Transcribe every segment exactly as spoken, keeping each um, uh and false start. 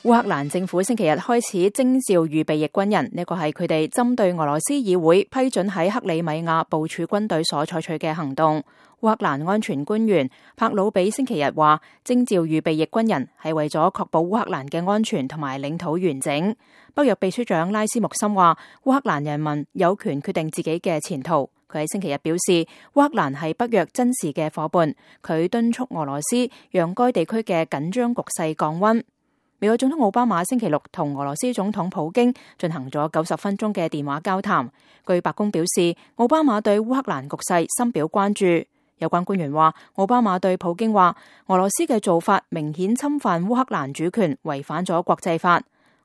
烏克蘭政府星期日開始徵召預備役軍人，呢個係佢哋針對俄羅斯議會批准喺克里米亞部署軍隊所採取嘅行動。烏克蘭安全官員帕魯比星期日話，徵召預備役軍人係為咗確保烏克蘭嘅安全同埋領土完整。北約秘書長拉斯穆森話，烏克蘭人民有權決定自己嘅前途。佢喺星期日表示，烏克蘭係北約珍視嘅夥伴，佢敦促俄羅斯讓該地區嘅緊張局勢降溫。美國總統奧巴馬星期六同俄羅斯總統普京進行咗九十分鐘嘅電話交談。據白宮表示，奧巴馬對烏克蘭局勢深表關注。有關官員話，奧巴馬對普京話，俄羅斯嘅做法明顯侵犯烏克蘭主權，違反咗國際法。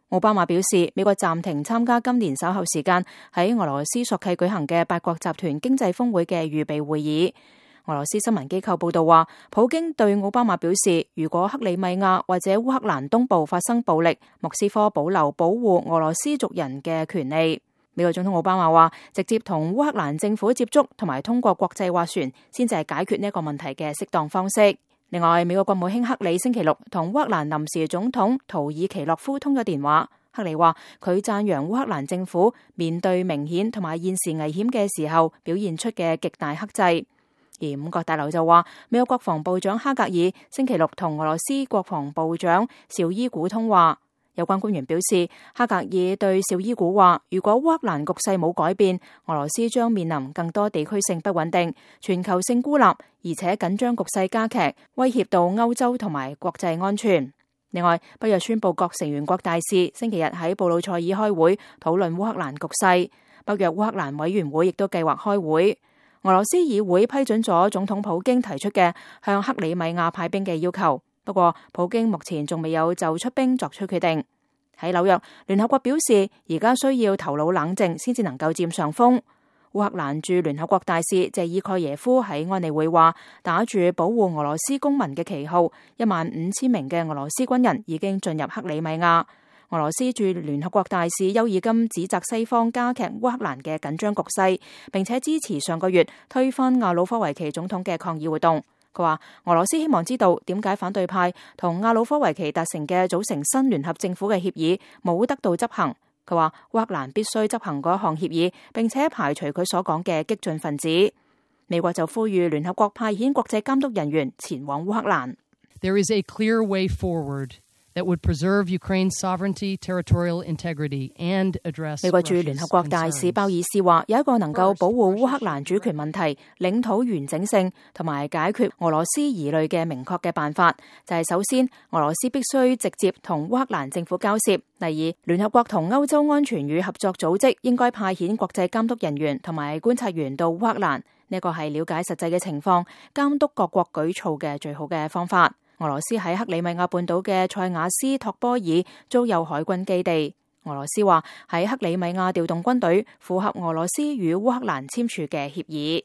奧巴馬表示，美國暫停參加今年稍後時間喺俄羅斯索契舉行嘅八國集團經濟峰會嘅預備會議。俄羅斯新聞機構報道話，普京對奧巴馬表示，如果克里米亞或者烏克蘭東部發生暴力，莫斯科保留保護俄羅斯族人嘅權利。美國總統奧巴馬話，直接同烏克蘭政府接觸同埋通過國際斡旋，先至係解決呢一個問題嘅適當方式。另外，美國國務卿克里星期六同烏克蘭臨時總統圖爾奇諾夫通咗電話。克里話，佢讚揚烏克蘭政府面對明顯同埋現時危險嘅時候表現出嘅極大克制。而五角大樓就話，美國國防部長哈格爾星期六同俄羅斯國防部長紹伊古通話。有關官員表示，哈格爾對紹伊古話，如果烏克蘭局勢冇改變，俄羅斯將面臨更多地區性不穩定、全球性孤立，而且緊張局勢加劇，威脅到歐洲同埋國際安全。另外，北約宣布各成員國大使星期日喺布魯塞爾開會討論烏克蘭局勢，北約烏克蘭委員會亦都計劃開會。俄羅斯議會批准咗總統普京提出嘅向克里米亞派兵嘅要求，不過普京目前仲未有就出兵作出決定。喺紐約，聯合國表示而家需要頭腦冷靜先至能夠佔上風。烏克蘭駐聯合國大使謝爾蓋耶夫喺安理會話，打住保護俄羅斯公民嘅旗號，一萬五千名嘅俄羅斯軍人已經進入克里米亞。俄羅斯駐聯合國大使邱爾金指責西方加劇烏克蘭嘅緊張局勢，並且支持上個月推翻亞努科維奇總統嘅抗議活動。佢話俄羅斯希望知道點解反對派同亞努科維奇達成嘅組成新聯合政府嘅協議冇得到執行。佢話烏克蘭必須執行嗰項協議，並且排除佢所講嘅激進分子。美國就呼籲聯合國派遣國際監督人員前往烏克蘭。There is a clear way forward that would preserve Ukraine's sovereignty, territorial integrity, and address 美國駐聯合國大使鮑爾斯話，有一個能夠保護烏克蘭主權問題、領土完整性同埋解決俄羅斯疑慮嘅明確嘅辦法，就係首先俄羅斯必須直接同烏克蘭政府交涉。第二，聯合國同歐洲安全與合作組織應該派遣國際監督人員同埋觀察員到烏克蘭，呢個係了解實際嘅情況、監督各國舉措嘅最好嘅方法。俄羅斯喺克里米亞半島嘅塞瓦斯托波爾租有海軍基地。俄羅斯話喺克里米亞調動軍隊，符合俄羅斯與烏克蘭簽署嘅協議。